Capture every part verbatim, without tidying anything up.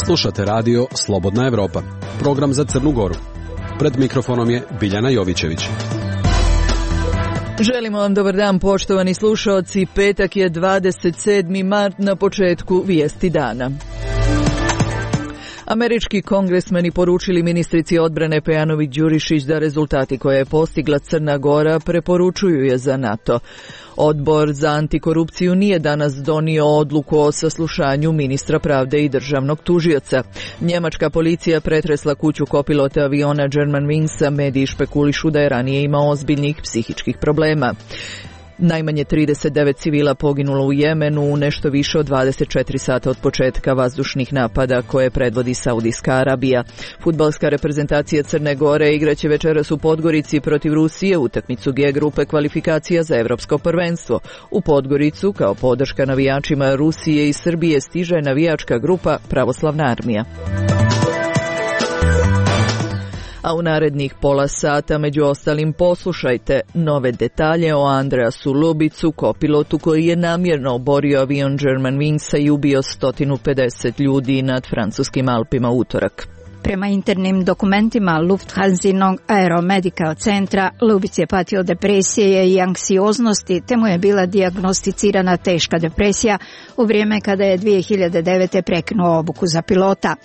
Slušate radio Slobodna Evropa, program za Crnu Goru. Pred mikrofonom je Biljana Jovićević. Želimo vam dobar dan, poštovani slušaoci. Petak je dvadeset sedmi mart, na početku vijesti dana. Američki kongresmeni poručili ministrici odbrane Pejanović Đurišić da rezultati koje je postigla Crna Gora preporučuju je za NATO. Odbor za antikorupciju nije danas donio odluku o saslušanju ministra pravde i državnog tužioca. Njemačka policija pretresla kuću kopilota aviona Germanwingsa, mediji špekulišu da je ranije imao ozbiljnih psihičkih problema. Najmanje trideset devet civila poginulo u Jemenu u nešto više od dvadeset četiri sata od početka vazdušnih napada koje predvodi Saudijska Arabija. Fudbalska reprezentacija Crne Gore igraće večeras u Podgorici protiv Rusije utakmicu G grupe kvalifikacija za evropsko prvenstvo. U Podgoricu kao podrška navijačima Rusije i Srbije stiže navijačka grupa Pravoslavna armija. A u narednih pola sata među ostalim poslušajte nove detalje o Andreasu Lubicu, kopilotu koji je namjerno oborio avion Germanwingsa i ubio sto pedeset ljudi nad francuskim Alpima utorak. Prema internim dokumentima Lufthansinog aeromedical centra, Lubic je patio depresije i anksioznosti, te mu je bila dijagnosticirana teška depresija u vrijeme kada je dvije hiljade devete prekinuo obuku za pilota.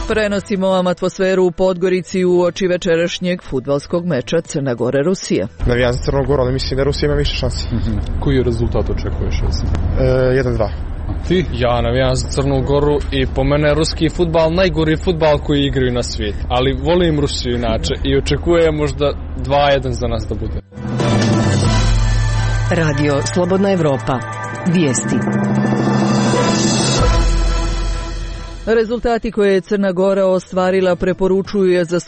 Prenosimo vam atmosferu u Podgorici u oči večerašnjeg fudbalskog meča Crna Gora-Rusija. Navijam za Crnu Goru, ali mislim da Rusija ima više šansi. Mm-hmm. Koji rezultat očekuješ? jedan dva. Ti? Ja navijam za Crnu Goru i po mene je ruski fudbal najgori fudbal koji igraju na svijetu. Ali volim Rusiju inače i očekujem možda dva jedan za nas da bude. Radio Slobodna Evropa. Vijesti. Rezultati koje je Crna Gora ostvarila preporučuju je za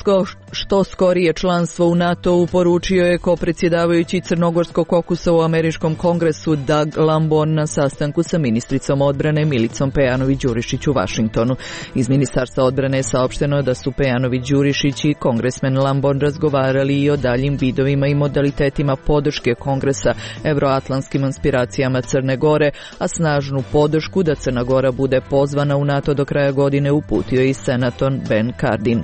što skorije članstvo u NATO-u, poručio je kopredsjedavajući crnogorskog kokusa u Američkom kongresu Doug Lamborn na sastanku sa ministricom odbrane Milicom Pejanović Đurišić u Vašingtonu. Iz Ministarstva odbrane je saopšteno da su Pejanović Đurišić i kongresmen Lamborn razgovarali i o daljim vidovima i modalitetima podrške kongresa evroatlantskim aspiracijama Crne Gore, a snažnu podršku da Crna Gora bude pozvana u NATO do kraja godine uputio i senator Ben Cardin.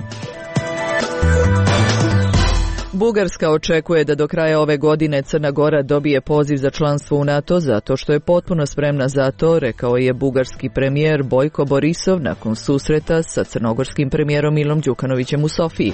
Bugarska očekuje da do kraja ove godine Crna Gora dobije poziv za članstvo u NATO zato što je potpuno spremna za to, rekao je bugarski premijer Bojko Borisov nakon susreta sa crnogorskim premijerom Milom Đukanovićem u Sofiji.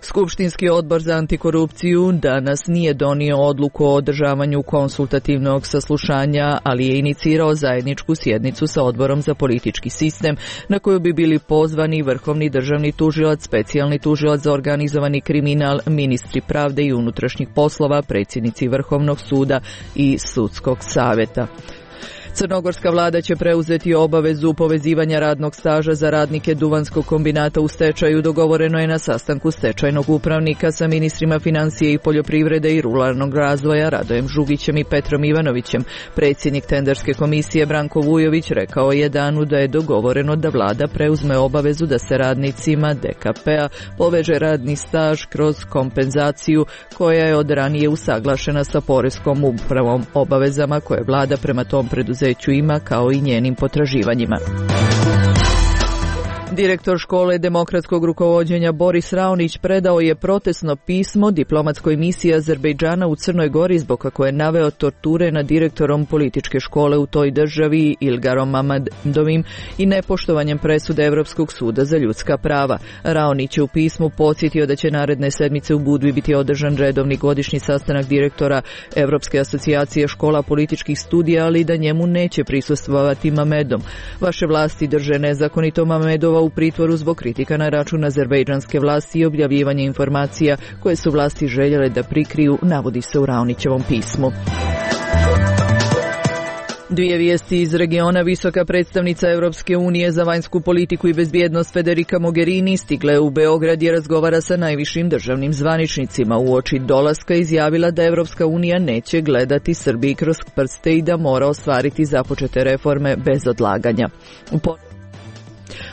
Skupštinski odbor za antikorupciju danas nije donio odluku o održavanju konsultativnog saslušanja, ali je inicirao zajedničku sjednicu sa odborom za politički sistem na koju bi bili pozvani vrhovni državni tužilac, specijalni tužilac za organizovani kriminal, ministri pravde i unutrašnjih poslova, predsjednici Vrhovnog suda i Sudskog savjeta. Crnogorska vlada će preuzeti obavezu povezivanja radnog staža za radnike Duvanskog kombinata u stečaju, dogovoreno je na sastanku stečajnog upravnika sa ministrima financije i poljoprivrede i ruralnog razvoja Radojem Žugićem i Petrom Ivanovićem. Predsjednik tenderske komisije Branko Vujović rekao je danu da je dogovoreno da vlada preuzme obavezu da se radnicima D K P-a poveže radni staž kroz kompenzaciju koja je od ranije usaglašena sa poreskom upravom, obavezama koje vlada prema tom preduzeću ima kao i njenim potraživanjima. Direktor škole demokratskog rukovođenja Boris Raonić predao je protestno pismo diplomatskoj misiji Azerbejdžana u Crnoj Gori zbog kako je naveo torture nad direktorom političke škole u toj državi Ilgarom Mamadovim i nepoštovanjem presude Evropskog suda za ljudska prava. Raonić je u pismu podsjetio da će naredne sedmice u Budvi biti održan redovni godišnji sastanak direktora Evropske asocijacije škola političkih studija, ali da njemu neće prisustvovati Mamedom. Vaše vlasti drže nezakonito Mamedova u pritvoru zbog kritika na račun azerbejdžanske vlasti i objavljivanja informacija koje su vlasti željele da prikriju, navodi se u Raonićevom pismu. Dvije vijesti iz regiona. Visoka predstavnica Europske unije za vanjsku politiku i bezbjednost Federica Mogherini stigla je u Beograd i razgovara sa najvišim državnim zvaničnicima. Uoči dolaska izjavila da Europska unija neće gledati Srbiji kroz prste i da mora ostvariti započete reforme bez odlaganja. U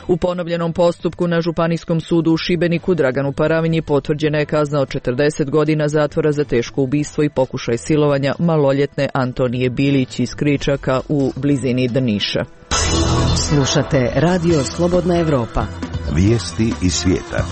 U ponovljenom postupku na Županijskom sudu u Šibeniku Draganu Paravinji potvrđena je kazna od četrdeset godina zatvora za teško ubistvo i pokušaj silovanja maloljetne Antonije Bilić iz Kričaka u blizini Drniša. Slušate Radio Slobodna Evropa. Vijesti iz svijeta.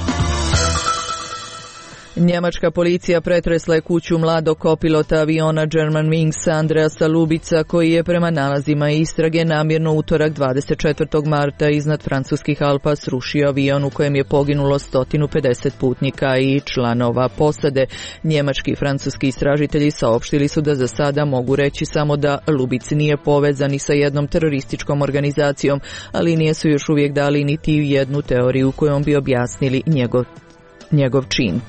Njemačka policija pretresla je kuću mladog kopilota aviona Germanwings Andreasa Lubica, koji je prema nalazima istrage namjerno utorak dvadeset četvrtog marta iznad francuskih Alpa srušio avion u kojem je poginulo sto pedeset putnika i članova posade. Njemački i francuski istražitelji saopštili su da za sada mogu reći samo da Lubic nije povezan ni sa jednom terorističkom organizacijom, ali nije su još uvijek dali niti jednu teoriju kojom bi objasnili njegov, njegov čin.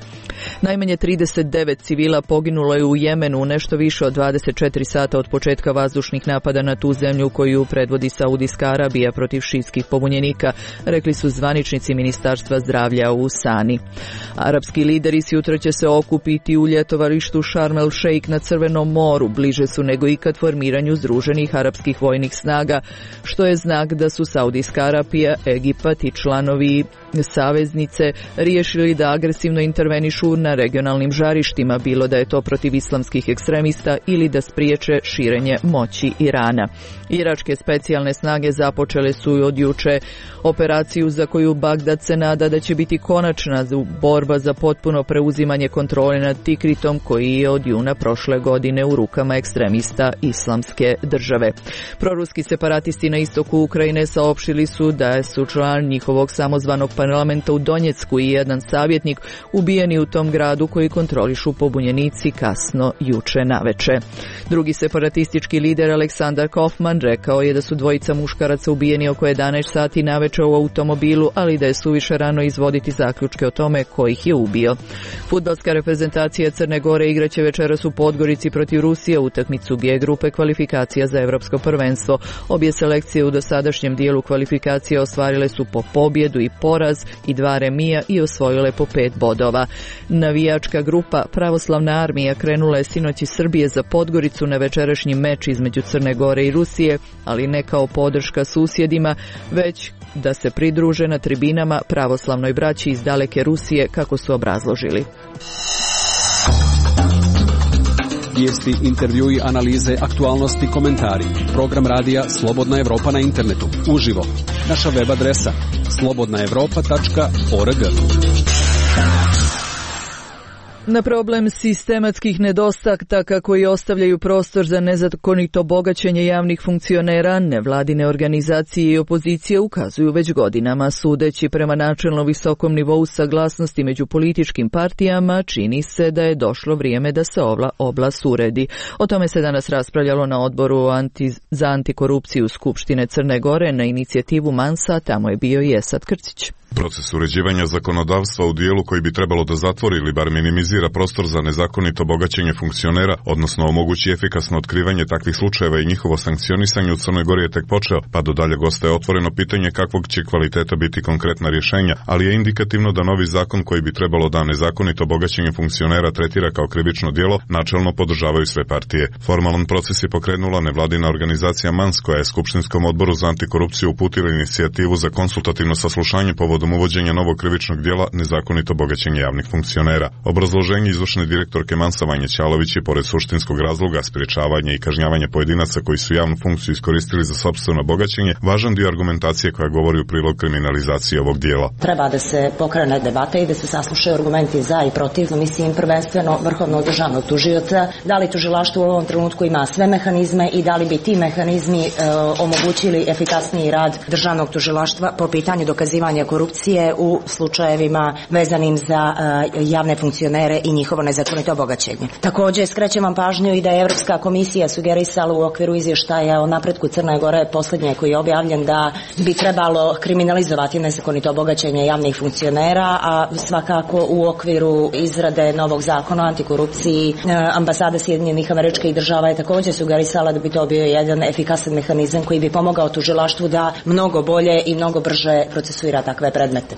Najmanje trideset devet civila poginulo je u Jemenu nešto više od dvadeset četiri sata od početka vazdušnih napada na tu zemlju koju predvodi Saudijska Arabija protiv šijskih pobunjenika, rekli su zvaničnici Ministarstva zdravlja u Sani. Arapski lideri sutra će se okupiti u ljetovalištu Sharm el Sheikh na Crvenom moru, bliže su nego ikad formiranju združenih arapskih vojnih snaga, što je znak da su Saudijska Arabija, Egipat i članovi saveznice riješili da agresivno intervenišu na regionalnim žarištima, bilo da je to protiv islamskih ekstremista ili da spriječe širenje moći Irana. Iračke specijalne snage započele su od juče operaciju za koju Bagdad se nada da će biti konačna borba za potpuno preuzimanje kontrole nad Tikritom, koji je od juna prošle godine u rukama ekstremista Islamske države. Proruski separatisti na istoku Ukrajine saopštili su da su član njihovog samozvanog parlamenta u Donjecku i jedan savjetnik ubijeni u tom gradu koji kontrolišu pobunjenici kasno juče naveče. Drugi separatistički lider Aleksandar Kofman rekao je da su dvojica muškaraca ubijeni oko jedanaest sati naveče u automobilu, ali da je suviše rano izvoditi zaključke o tome ko ih je ubio. Fudbalska reprezentacija Crne Gore igraće večeras u Podgorici protiv Rusije utakmicu G grupe kvalifikacija za Evropsko prvenstvo. Obje selekcije u dosadašnjem dijelu kvalifikacije ostvarile su po pobjedu i poraz i dva remija i osvojile po pet bodova. Navijačka grupa Pravoslavna armija krenula je sinoć iz Srbije za Podgoricu na večerašnji meč između Crne Gore i Rusije, ali ne kao podrška susjedima, već da se pridruže na tribinama pravoslavnoj braći iz daleke Rusije, kako su obrazložili. Vijesti, intervjui, analize, aktualnosti, komentari. Program radija Slobodna Evropa na internetu. Uživo. Naša web adresa slobodna evropa tačka org. Na problem sistematskih nedostataka koji ostavljaju prostor za nezakonito bogaćenje javnih funkcionera, nevladine organizacije i opozicije ukazuju već godinama. Sudeći prema načelno visokom nivou saglasnosti među političkim partijama, čini se da je došlo vrijeme da se ova oblast uredi. O tome se danas raspravljalo na odboru anti, za antikorupciju Skupštine Crne Gore na inicijativu Mansa, tamo je bio i Esad Krcić. Proces uređivanja zakonodavstva u dijelu koji bi trebalo da zatvori ili bar minimizira prostor za nezakonito bogaćenje funkcionera, odnosno omogući efikasno otkrivanje takvih slučajeva i njihovo sankcionisanje u Crnoj Gori je tek počeo, pa do daljeg ostaje otvoreno pitanje kakvog će kvaliteta biti konkretna rješenja, ali je indikativno da novi zakon koji bi trebalo da nezakonito bogaćenje funkcionera tretira kao krivično djelo, načelno podržavaju sve partije. Formalan proces je pokrenula nevladina organizacija Mans, koja je Skupštinskom odboru za antikorupciju uputila inicijativu za konsultativno saslušanje povodom uvođenja novog krivičnog djela nezakonito bogaćenje javnih funkcionera. Obrazloženje izvršne direktorke Mansa Vanje Ćalović je pored suštinskog razloga sprječavanja i kažnjavanja pojedinaca koji su javnu funkciju iskoristili za sopstveno bogaćenje, važan dio argumentacije koja govori u prilog kriminalizacije ovog djela. Treba da se pokrene debata i da se saslušaju argumenti za i protiv, mislim prvenstveno vrhovnog državnog tužioca, da li tužilaštvo u ovom trenutku ima sve mehanizme i da li bi ti mehanizmi e, omogućili efikasniji rad državnog tužilaštva po pitanju dokazivanja korupcije u slučajevima vezanim za uh, javne funkcionere i njihovo nezakonito bogaćenje. Također skrećem vam pažnju i da je Evropska komisija sugerisala u okviru izvještaja o napretku Crne Gore, posljednje koji je objavljen, da bi trebalo kriminalizovati nezakonito bogaćenje javnih funkcionera, a svakako u okviru izrade novog zakona o antikorupciji uh, ambasada Sjedinjenih Američkih Država je također sugerisala da bi to bio jedan efikasan mehanizam koji bi pomogao tužilaštvu da mnogo bolje i mnogo brže procesuira takve predmete.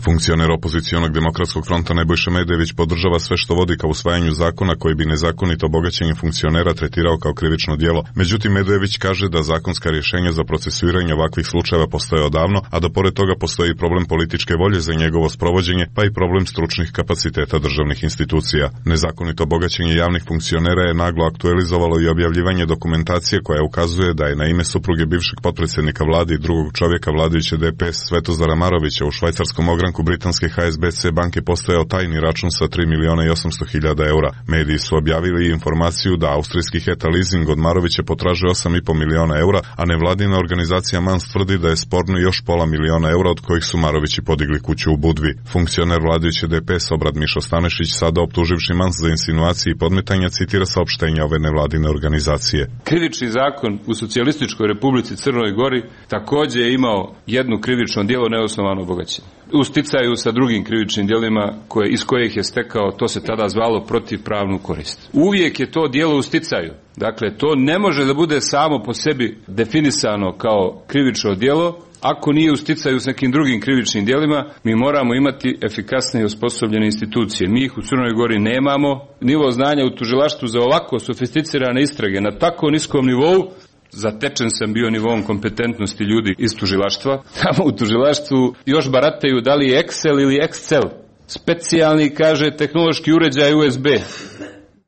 Funkcioner opozicionog demokratskog fronta Nebojša Medević podržava sve što vodi ka usvajanju zakona koji bi nezakonito bogaćenje funkcionera tretirao kao krivično djelo. Međutim, Medević kaže da zakonska rješenja za procesuiranje ovakvih slučajeva postoje odavno, a da pored toga postoji problem političke volje za njegovo sprovođenje, pa i problem stručnih kapaciteta državnih institucija. Nezakonito bogaćenje javnih funkcionera je naglo aktualizovalo i objavljivanje dokumentacije koja ukazuje da je na ime supruge bivšeg potpredsjednika vlade i drugog čovjeka vladajuće D P S Svetozara Marovića u švajcarskom ogranku britanske H S B C banke postojao tajni račun sa tri miliona i osamsto hiljada eura. Mediji su objavili informaciju da austrijski Heta Leasing od Marovića potražuje osam i po miliona eura, a nevladina organizacija Mans tvrdi da je sporno još pola miliona eura od kojih su Marovići podigli kuću u Budvi. Funkcioner vladajuće D P S Obrad Mišo Stanešić, sada optuživši Mans za insinuacije i podmetanja, citira saopštenja ove nevladine organizacije. Krivični zakon u Socijalističkoj Republici Crnoj Gori također je imao jedno krivično djelo neosnovano bogaćenje. U sticaju sa drugim krivičnim djelima koje, iz kojih je stekao, to se tada zvalo protivpravnu korist. Uvijek je to djelo u sticaju. Dakle, to ne može da bude samo po sebi definisano kao krivično djelo. Ako nije u sticaju s nekim drugim krivičnim djelima, mi moramo imati efikasne i osposobljene institucije. Mi ih u Crnoj Gori nemamo. Nivo znanja u tužilaštvu za ovako sofisticirane istrage na tako niskom nivou, zatečen sam bio nivom kompetentnosti ljudi iz tužilaštva. Tamo u tužilaštvu još barataju da li je Excel ili Excel. Specijalni, kaže, tehnološki uređaj U S B.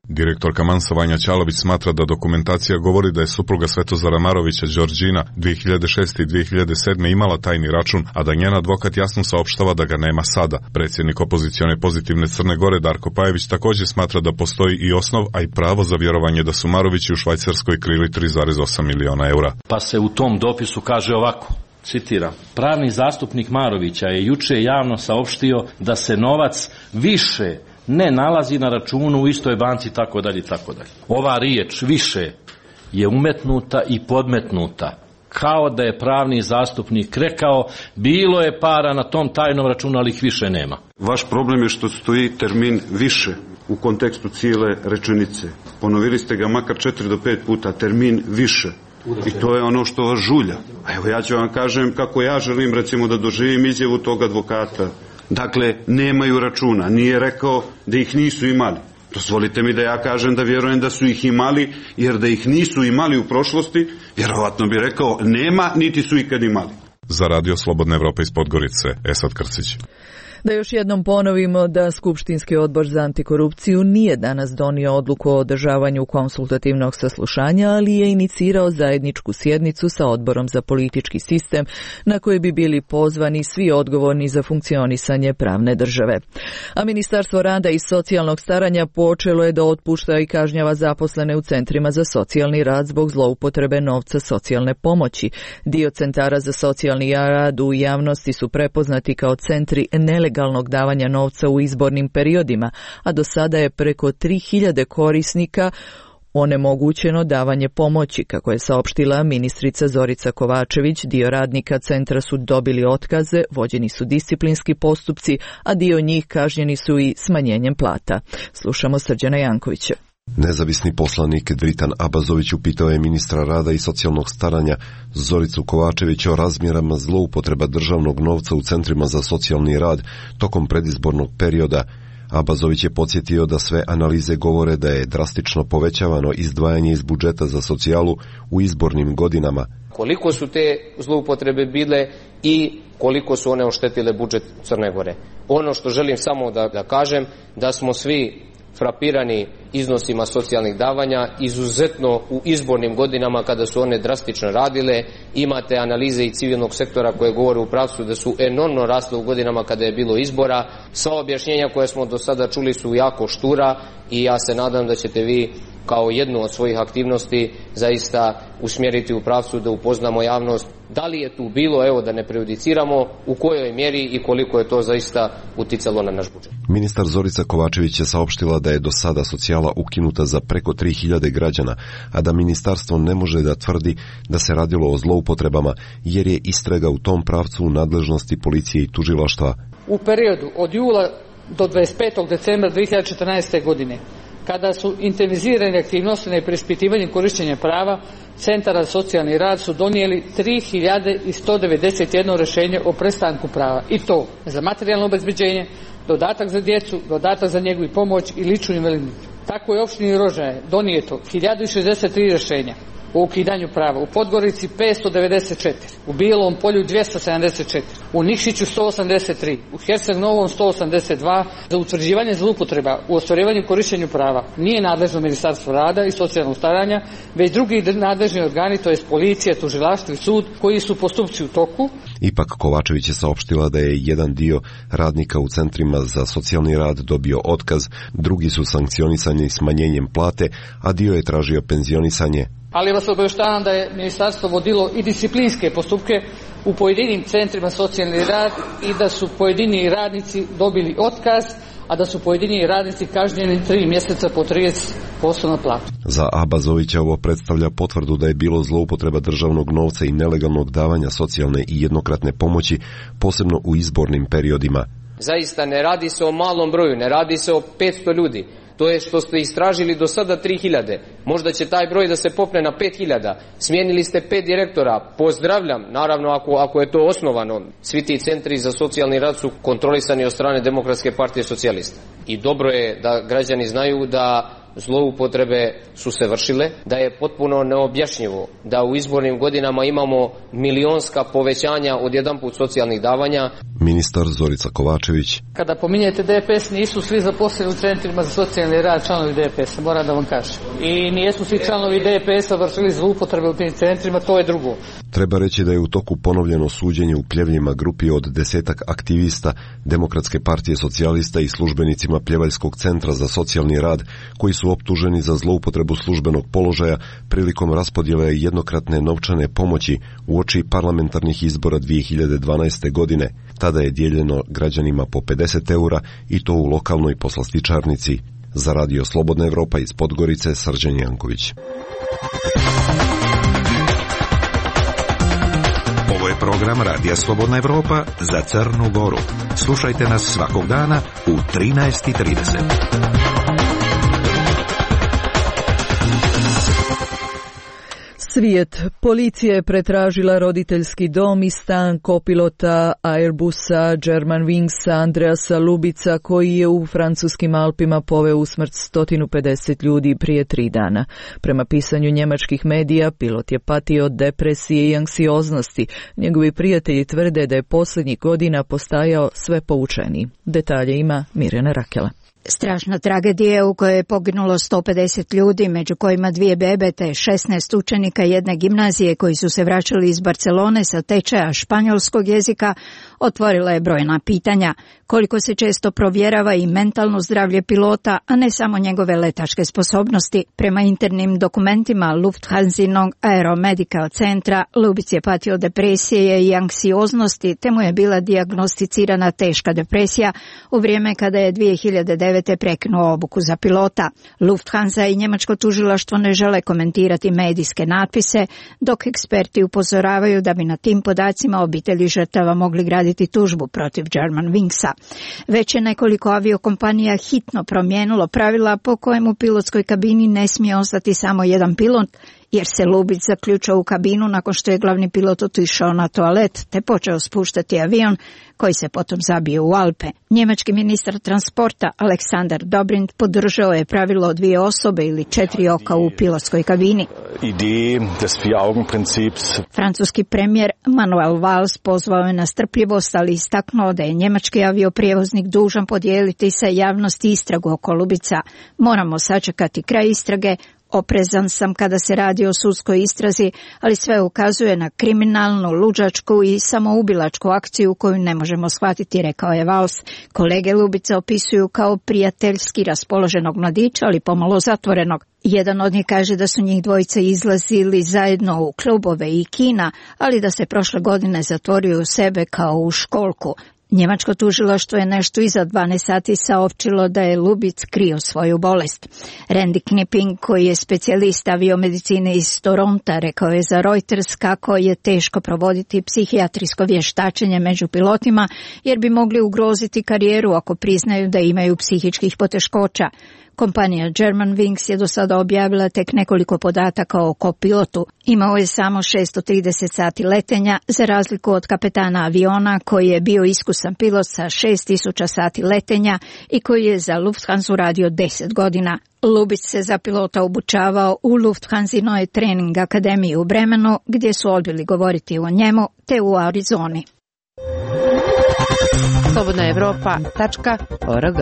Direktorka Mansa Vanja Ćalović smatra da dokumentacija govori da je supruga Svetozara Marovića Đorđina dvije hiljade šeste i dvije hiljade sedme imala tajni račun, a da njen advokat jasno saopštava da ga nema sada. Predsjednik opozicione Pozitivne Crne Gore Darko Pajević također smatra da postoji i osnov, a i pravo za vjerovanje da su Marovići u Švajcarskoj krili tri zarez osam miliona eura. Pa se u tom dopisu kaže ovako, citiram: pravni zastupnik Marovića je juče javno saopštio da se novac više ne nalazi na računu u istoj banci, tako dalje, tako dalje. Ova riječ više je umetnuta i podmetnuta, kao da je pravni zastupnik rekao bilo je para na tom tajnom računu, ali ih više nema. Vaš problem je što stoji termin više u kontekstu cijele rečenice. Ponovili ste ga makar četiri do pet puta, termin više. I to je ono što vas žulja. A evo ja ću vam kažem kako ja želim recimo da doživim izjavu tog advokata. Dakle, nemaju računa. Nije rekao da ih nisu imali. Dozvolite mi da ja kažem da vjerujem da su ih imali, jer da ih nisu imali u prošlosti, vjerovatno bi rekao nema, niti su ikad imali. Za Radio Slobodna Evropa iz Podgorice, Esad Krcić. Da još jednom ponovimo da Skupštinski odbor za antikorupciju nije danas donio odluku o održavanju konsultativnog saslušanja, ali je inicirao zajedničku sjednicu sa odborom za politički sistem na koje bi bili pozvani svi odgovorni za funkcionisanje pravne države. A Ministarstvo rada i socijalnog staranja počelo je da otpušta i kažnjava zaposlene u centrima za socijalni rad zbog zloupotrebe novca socijalne pomoći. Dio centara za socijalni rad u javnosti su prepoznati kao centri nelegalnog legalnog davanja novca u izbornim periodima, a do sada je preko tri hiljade korisnika onemogućeno davanje pomoći. Kako je saopštila ministrica Zorica Kovačević, dio radnika centra su dobili otkaze, vođeni su disciplinski postupci, a dio njih kažnjeni su i smanjenjem plata. Slušamo Srđana Jankovića. Nezavisni poslanik Dritan Abazović upitao je ministra rada i socijalnog staranja Zoricu Kovačević o razmjerama zloupotreba državnog novca u centrima za socijalni rad tokom predizbornog perioda. Abazović je podsjetio da sve analize govore da je drastično povećavano izdvajanje iz budžeta za socijalu u izbornim godinama. Koliko su te zloupotrebe bile i koliko su one oštetile budžet Crne Gore. Ono što želim samo da, da kažem, da smo svi frapirani iznosima socijalnih davanja, izuzetno u izbornim godinama kada su one drastično radile. Imate analize i civilnog sektora koje govore u pravcu da su enormno rasle u godinama kada je bilo izbora. Sva objašnjenja koje smo do sada čuli su jako štura i ja se nadam da ćete vi kao jednu od svojih aktivnosti zaista usmjeriti u pravcu da upoznamo javnost da li je tu bilo, evo da ne prejudiciramo, u kojoj mjeri i koliko je to zaista uticalo na naš budžet. Ministar Zorica Kovačević je saopštila da je do sada socijala ukinuta za preko tri hiljade građana, a da ministarstvo ne može da tvrdi da se radilo o zloupotrebama, jer je istraga u tom pravcu u nadležnosti policije i tužilaštva. U periodu od jula do dvadeset petog decembra dvije hiljade četrnaeste. godine kada su intenzivizirane aktivnosti na preispitivanju korišćenja prava, Centara za socijalni rad su donijeli tri hiljade sto devedeset jedno rješenje o prestanku prava, i to za materijalno obezbeđenje, dodatak za djecu, dodatak za njegu i pomoć i ličnu invalidninu. Tako je u opštini Rožaje donijeto hiljadu šezdeset tri rješenja o ukidanju prava, u Podgorici petsto devedeset četiri, u Bijelom Polju dvjesto sedamdeset četiri, u Nikšiću sto osamdeset tri, u Herceg Novom sto osamdeset dva. Za utvrđivanje zloupotreba u ostvarivanju i korištenju prava nije nadležno Ministarstvo rada i socijalnog staranja, već drugi nadležni organi, to jest policija, tužilaštvo i sud, koji su postupci u toku. Ipak Kovačević je saopštila da je jedan dio radnika u centrima za socijalni rad dobio otkaz, drugi su sankcionisani smanjenjem plate, a dio je tražio penzionisanje. Ali vas obavještavam da je ministarstvo vodilo i disciplinske postupke u pojedinim centrima socijalni rad i da su pojedini radnici dobili otkaz, a da su pojedini radnici kažnjeni tri mjeseca po trideset posto na platu. Za Abazovića ovo predstavlja potvrdu da je bilo zloupotreba državnog novca i nelegalnog davanja socijalne i jednokratne pomoći, posebno u izbornim periodima. Zaista ne radi se o malom broju, ne radi se o petsto ljudi. To je što ste istražili do sada tri hiljade. Možda će taj broj da se popne na pet hiljada. Smijenili ste pet direktora. Pozdravljam, naravno ako, ako je to osnovano. Svi ti centri za socijalni rad su kontrolisani od strane Demokratske partije socijalista. I dobro je da građani znaju da zloupotrebe su se vršile, da je potpuno neobjašnjivo da u izbornim godinama imamo milionska povećanja odjedanput socijalnih davanja. Ministar Zorica Kovačević. Kada pominjete D P S, nisu svi zaposleni u centrima za socijalni rad članovi D P S-a, moram da vam kažem. I nijesu svi članovi D P S-a vršili zloupotrebe u tim centrima, to je drugo. Treba reći da je u toku ponovljeno suđenje u Pljevljima grupi od desetak aktivista Demokratske partije socijalista i službenicima Pljevaljskog centra za socijalni rad, koji su optuženi za zloupotrebu službenog položaja prilikom raspodjele jednokratne novčane pomoći uoči parlamentarnih izbora dvije hiljade dvanaeste. godine. Tada je dijeljeno građanima po pedeset eura i to u lokalnoj poslastičarnici. Za Radio Slobodna Evropa iz Podgorice, Srđan Janković. Ovo je program Radija Slobodna Evropa za Crnu Goru. Slušajte nas svakog dana u trinaest i trideset. Svijet. Policija je pretražila roditeljski dom i stan kopilota Airbusa Germanwingsa Andreasa Lubica, koji je u francuskim Alpima poveo u smrt sto pedeset ljudi prije tri dana. Prema pisanju njemačkih medija, pilot je patio od depresije i anksioznosti. Njegovi prijatelji tvrde da je posljednjih godina postajao sve poučeniji. Detalje ima Mirjana Rakela. Strašna tragedija u kojoj je poginulo sto pedeset ljudi, među kojima dvije bebe te šesnaest učenika jedne gimnazije koji su se vraćali iz Barcelone sa tečaja španjolskog jezika, otvorila je brojna pitanja. Koliko se često provjerava i mentalno zdravlje pilota, a ne samo njegove letačke sposobnosti. Prema internim dokumentima Lufthansinog aeromedical centra, Lubic je patio depresije i anksioznosti, te mu je bila dijagnosticirana teška depresija u vrijeme kada je dvije hiljade devete. prekinuo obuku za pilota. Lufthansa i njemačko tužilaštvo ne žele komentirati medijske natpise, dok eksperti upozoravaju da bi na tim podacima obitelji žrtava mogli graditi tužbu protiv Germanwingsa. Već je nekoliko aviokompanija hitno promijenilo pravila po kojem u pilotskoj kabini ne smije ostati samo jedan pilot, jer se Lubic zaključao u kabinu nakon što je glavni pilot otišao na toalet te počeo spuštati avion koji se potom zabio u Alpe. Njemački ministar transporta Aleksandar Dobrindt podržao je pravilo o dvije osobe ili četiri oka u pilotskoj kabini. Francuski premijer Manuel Valls pozvao je na strpljivost, ali istaknuo da je njemački avioprijevoznik dužan podijeliti sa javnosti istragu oko Lubica. Moramo sačekati kraj istrage. Oprezan sam kada se radi o sudskoj istrazi, ali sve ukazuje na kriminalnu, luđačku i samoubilačku akciju koju ne možemo shvatiti, rekao je Valls. Kolege Lubica opisuju kao prijateljski raspoloženog mladića, ali pomalo zatvorenog. Jedan od njih kaže da su njih dvojica izlazili zajedno u klubove i kina, ali da se prošle godine zatvorio u sebe kao u školku. Njemačko tužilaštvo je nešto iza dvanaest sati saopćilo da je Lubic krio svoju bolest. Randy Knipping, koji je specijalist aviomedicine iz Toronta, rekao je za Reuters kako je teško provoditi psihijatrijsko vještačenje među pilotima, jer bi mogli ugroziti karijeru ako priznaju da imaju psihičkih poteškoća. Kompanija Germanwings je do sada objavila tek nekoliko podataka o kopilotu. Imao je samo šesto trideset sati letenja, za razliku od kapetana aviona koji je bio iskusan pilot sa šest tisuća sati letenja i koji je za Lufthansa radio deset godina. Lubić se za pilota obučavao u Lufthansinoj trening akademiji u Bremenu, gdje su odbili govoriti o njemu, te u Arizoni. slobodna evropa tačka org.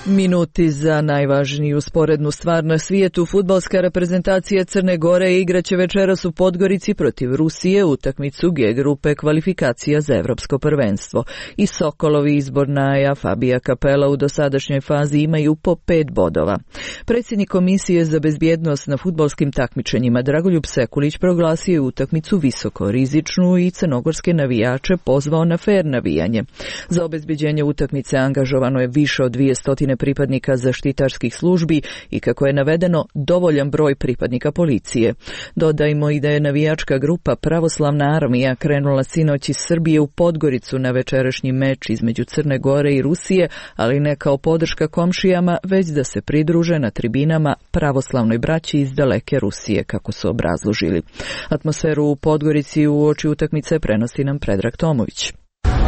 Minuti za najvažniju sporednu stvar na svijetu. Fudbalska reprezentacija Crne Gore igraće večeras u Podgorici protiv Rusije utakmicu G grupe kvalifikacija za evropsko prvenstvo. I Sokolovi izbor Naja Fabija Kapela u dosadašnjoj fazi imaju po pet bodova. Predsjednik Komisije za bezbjednost na fudbalskim takmičenjima Dragoljub Sekulić proglasio je utakmicu visoko rizičnu i crnogorske navijače pozvao na fer navijanje. Za obezbeđenje utakmice angažovano je više od dvjesto pripadnika zaštitarskih službi i, kako je navedeno, dovoljan broj pripadnika policije. Dodajmo i da je navijačka grupa Pravoslavna armija krenula sinoć iz Srbije u Podgoricu na večerašnji meč između Crne Gore i Rusije, ali ne kao podrška komšijama, već da se pridruže na tribinama pravoslavnoj braći iz daleke Rusije, kako su obrazložili. Atmosferu u Podgorici uoči utakmice prenosi nam Predrag Tomović.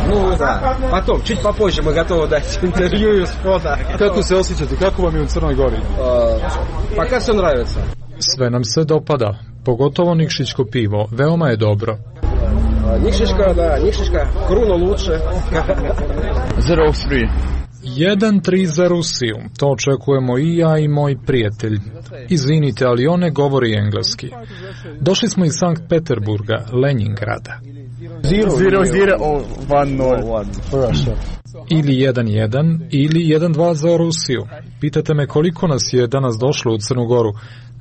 Ну да, потом, чуть попозже мы готовы дать интервью с фото. Kako se osjećate, kako vam je u Crnoj Gori? Пока все нравится. Sve nam se dopada, pogotovo nikšićko pivo, veoma je dobro. Nikšićka, da, Nikšićka, Kruno luče. zero tri. jedan tri za Rusiju, to očekujemo i ja i moj prijatelj. Izvinite, ali on ne govori engleski. Došli smo iz Sankt Peterburga, Leningrada. zero zero one nol. Ili jedan jedan ili jedan dva za Rusiju. Pitate me koliko nas je danas došlo u Crnu Goru?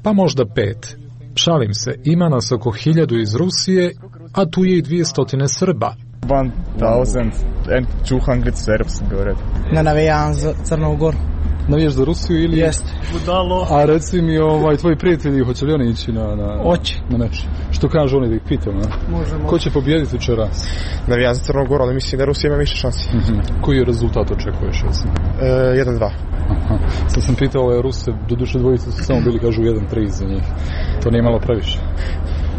Pa možda pet. Šalim se, ima nas oko hiljadu iz Rusije, a tu je i dvijestotine Srba. one thousand two hundred Serbs, говорят. Ne navijam za Crnu Goru. Navijaš za Rusiju ili... Jest. A reci mi, ovaj, tvoji prijatelji, hoće li oni ići na, na, Oće. na meč? Što kažu oni da ih pitam, ne? Možemo. Ko će pobijediti večeras? Navijam za Crnu Goru, ali mislim da Rusija ima više šansi. Mm-hmm. Koji je rezultat očekuješ? E, jedan dva. Aha. Sad sam pitao ove Ruse, doduše dvojice su samo bili, kažu jedan tri za njih. To nije malo previše?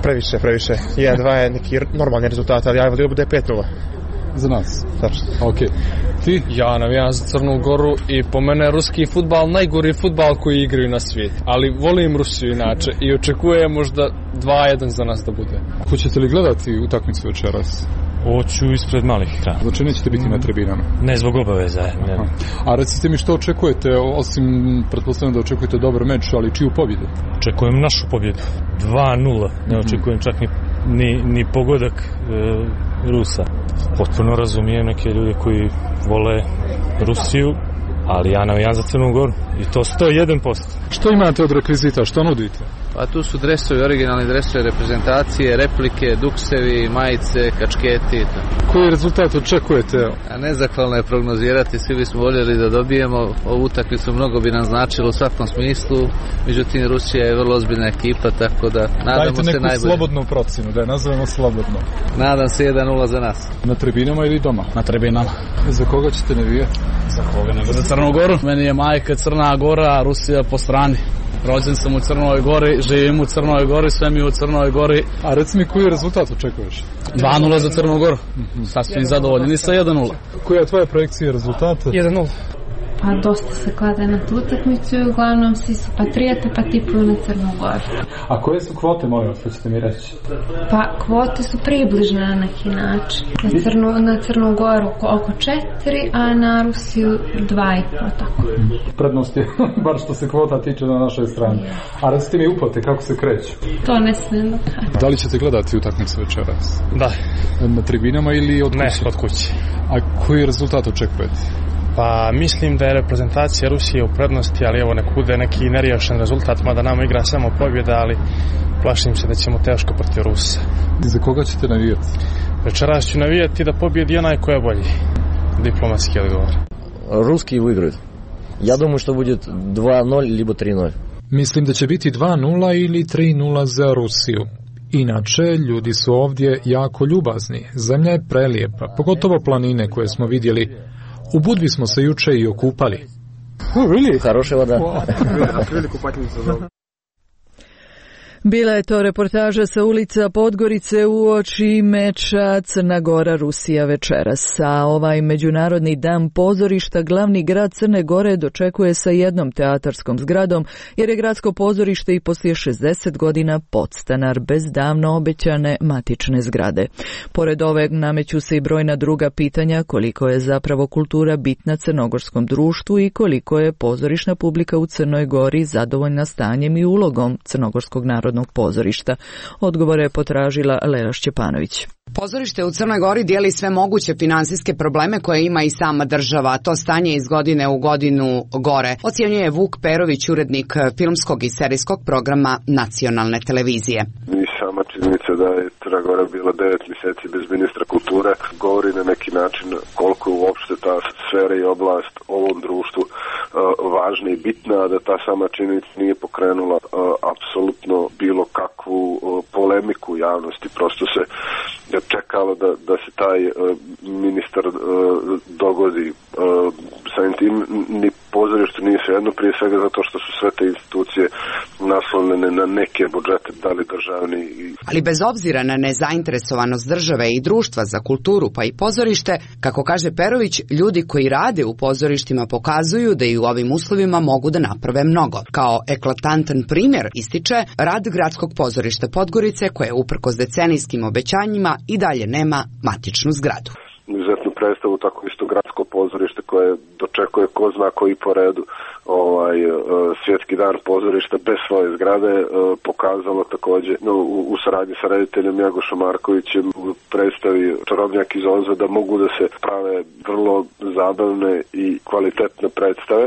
Previše, previše. jedan dva je neki normalni rezultat, ali ja volio bude pet nula. Za nas? Tačno. Ok. Ti? Ja navijam za Crnu Goru i po mene ruski fudbal najgori fudbal koji igraju na svijetu. Ali volim Rusiju inače i očekujem možda dva jedan za nas da bude. Hoćete li gledati utakmicu večeras? Hoću ispred malih ekrana. Znači nećete biti na tribinama? Ne, zbog obaveza. Ne. A recite mi što očekujete, osim pretpostavljam da očekujete dobar meč, ali čiju pobjedu? Očekujem našu pobjedu. dva nula. Ne očekujem čak ni, ni, ni pogodak e, Rusa. Potpuno razumijem neke ljude koji vole Rusiju, ali ja navijam za Crnu Goru i to sto jedan posto. Što imate od rekvizita, što nudite? Pa tu su dresovi, originalni dresovi reprezentacije, replike, duksevi, majice, kačketi. Koji rezultat očekujete? A nezahvalno je prognozirati, svi bismo voljeli da dobijemo. Ovu utakmicu mnogo bi nam značilo u svakom smislu, međutim Rusija je vrlo ozbiljna ekipa, tako da nadamo Dajte se najbolje. Dajte neku slobodnu procenu, da je nazovemo slobodno. Nadam se jedan nula za nas. Na tribinama ili doma? Na tribinama. Za koga ćete navijati? Za koga nego za Crnu Goru. Meni je majka Crna Gora, Rusija po strani. Rođen sam u Crnoj Gori, živim u Crnoj Gori, sve mi u Crnoj Gori. A reci mi koji rezultat očekuješ? dva nula za Crnu Goru. Mm-hmm. Sasvim zadovoljeni sa jedan nula. Koja je tvoja projekcija rezultata? jedan nula. Pa dosta se klade na tu utakmicu i uglavnom svi su patrijete pa tipuju na Crnu Goru. A koje su kvote, molim vas, hoćete mi reći? Pa kvote su približne na neki način. Na Crnu, na Crnu Goru oko četiri, a na Rusiju dva i po tako. Prednost je, bar što se kvota tiče na našoj strani. A recite mi uplate, kako se kreću? To ne smijem da kažem. Da li ćete gledati utakmicu večeras? Da. Na tribinama ili od kuće? Ne, od kuće. A koji rezultat očekujete? Pa mislim da je reprezentacija Rusije u prednosti, ali evo nek bude neki neriješen rezultat, mada nama igra samo pobjeda, ali plašim se da ćemo teško protiv Rusa. I za koga ćete navijati? Večeras ću navijati da pobjedi onaj ko je bolji. Diplomatski odgovor. Ruski выиграют. Я думаю, что будет dva nula либо tri nula. Mislim da će biti dva nula ili tri nula za Rusiju. Inače, ljudi su ovdje jako ljubazni. Zemlja je prelijepa, pogotovo planine koje smo vidjeli. U Budvi smo se juče i okupali. Oh, really? Хорошая вода. Bila je to reportaža sa ulica Podgorice uoči meča Crna Gora Rusija večeras. A ovaj Međunarodni dan pozorišta glavni grad Crne Gore dočekuje sa jednom teatarskom zgradom, jer je gradsko pozorište i poslije šezdeset godina podstanar bez davno obećane matične zgrade. Pored ove nameću se i brojna druga pitanja koliko je zapravo kultura bitna crnogorskom društvu i koliko je pozorišna publika u Crnoj Gori zadovoljna stanjem i ulogom crnogorskog naroda pozorišta. Odgovore je potražila Lela Šćepanović. Pozorište u Crnoj Gori dijeli sve moguće finansijske probleme koje ima i sama država. To stanje iz godine u godinu gore, ocjenjuje Vuk Perović, urednik filmskog i serijskog programa nacionalne televizije. I sama činjenica da je Crna Gora bila devet mjeseci bez ministra kulture govori na neki način koliko je uopšte ta sfera i oblast ovom društvu uh, važna i bitna, da ta sama činjenica nije pokrenula uh, apsolutno bilo kakvu uh, polemiku u javnosti. Prosto se čekalo da, da se taj uh, ministar uh, dogodi. Uh, samim tim ni pozorište nije svejedno, prije svega zato što su sve te institucije naslonjene na neke budžete, da li državni. Ali bez obzira na nezainteresovanost države i društva za kulturu pa i pozorište, kako kaže Perović, ljudi koji rade u pozorištima pokazuju da i u ovim uslovima mogu da naprave mnogo. Kao eklatantan primjer ističe rad gradskog pozorišta Podgorice, koje uprkos decenijskim obećanjima i dalje nema matičnu zgradu. Izuzetnu predstavu, tako isto gradsko pozorište koje dočekuje ko zna koji po redu ovaj, svjetski dan pozorišta bez svoje zgrade, pokazalo također no, u, u saradnji sa rediteljem Jagošom Markovićem u predstavi Čarobnjak iz Oza da mogu da se prave vrlo zabavne i kvalitetne predstave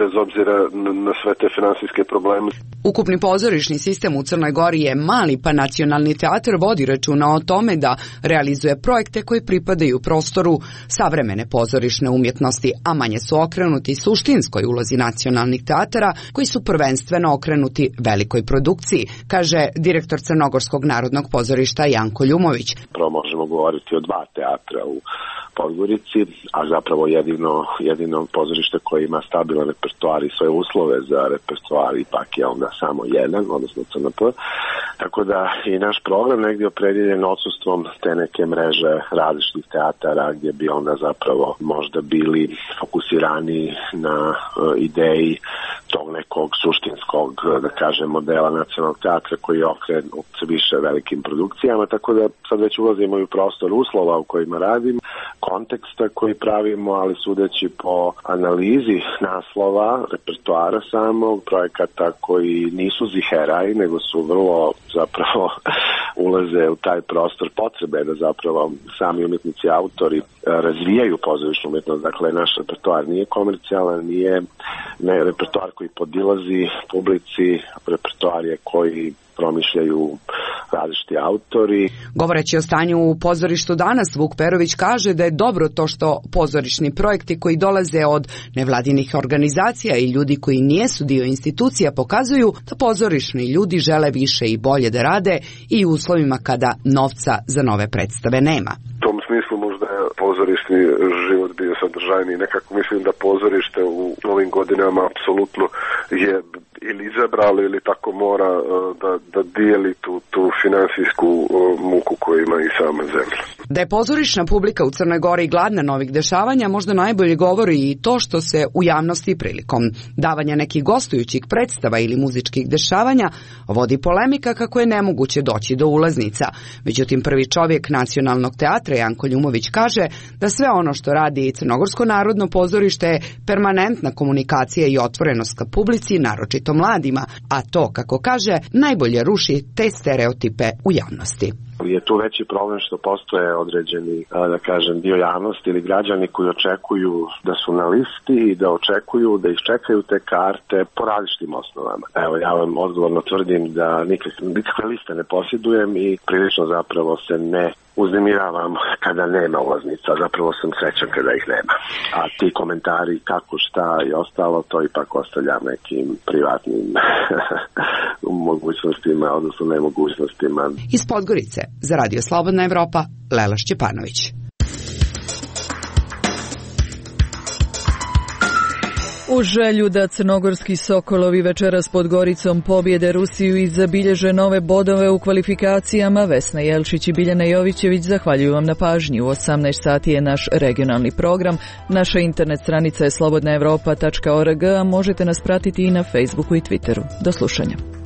bez obzira na, na sve te finansijske probleme. Ukupni pozorišni sistem u Crnoj Gori je mali, pa nacionalni teatar vodi računa o tome da realizuje projekte koji pripadaju prostoru savremene pozorišne umjetnosti, a manje su okrenuti suštinskoj ulozi nacionalnih teatara koji su prvenstveno okrenuti velikoj produkciji, kaže direktor Crnogorskog narodnog pozorišta Janko Ljumović. Prvo možemo govoriti o dva teatra u Podgorici, a zapravo jedino, jedino pozorište koje ima stabilan repertoar i svoje uslove za repertoar ipak je onda samo jedan, odnosno C N P. Tako da i naš program negdje opredjeljen odsustvom te neke mreže različitih teatara gdje bi onda zapravo možda bili fokusirani na uh, ideji tog nekog suštinskog, da kažem, modela nacionalnog teatra koji je okrenut više velikim produkcijama, tako da sad već ulazimo i u prostor uslova u kojima radim, konteksta koji pravimo, ali sudeći po analizi naslova, repertoara samog, projekata koji nisu ziheraj, nego su vrlo zapravo ulaze u taj prostor potrebe da zapravo sami umjetnici, autori razvijaju pozorišnu umjetnost. Dakle, naš repertoar nije komercijalan, nije ne, repertoar koji podilazi publici, repertoar je koji promišljaju različiti autori. Govoreći o stanju u pozorištu danas, Vuk Perović kaže da je dobro to što pozorišni projekti koji dolaze od nevladinih organizacija i ljudi koji nijesu dio institucija pokazuju da pozorišni ljudi žele više i bolje da rade i u uslovima kada novca za nove predstave nema. U tom smislu možda je pozorišni život bio sadržajniji. Nekako mislim da pozorište u ovim godinama apsolutno je ili izabralo ili tako mora da, da dijeli tu, tu finansijsku muku koju ima i sama zemlja. Da je pozorišna publika u Crnoj Gori gladna novih dešavanja možda najbolje govori i to što se u javnosti prilikom davanja nekih gostujućih predstava ili muzičkih dešavanja vodi polemika kako je nemoguće doći do ulaznica. Međutim, prvi čovjek nacionalnog teatra Janko Ljumović kaže da sve ono što radi Crnogorsko narodno pozorište je permanentna komunikacija i otvorenost ka publici, naročito mladima, a to, kako kaže, najbolje ruši te stereotipe u javnosti. Je tu veći problem što postoje određeni, da kažem, dio javnosti ili građani koji očekuju da su na listi i da očekuju da iščekaju te karte po različitim osnovama. Evo, ja vam odgovorno tvrdim da nikakve, nikakve liste ne posjedujem i prilično zapravo se ne uznemiravam kada nema ulaznica, zapravo sam srećan kada ih nema. A ti komentari kako, šta i ostalo, to ipak ostavljam nekim privatnim mogućnostima, odnosno nemogućnostima. Iz Podgorice za Radio Slobodna Evropa, Lela Šćepanović. U želju da crnogorski Sokolovi večeras pod Goricom pobjede Rusiju i zabilježe nove bodove u kvalifikacijama, Vesna Jelšić i Biljana Jovićević zahvaljuju vam na pažnji. U osamnaest sati je naš regionalni program. Naša internet stranica je slobodna evropa tačka org, a možete nas pratiti i na Facebooku i Twitteru. Do slušanja.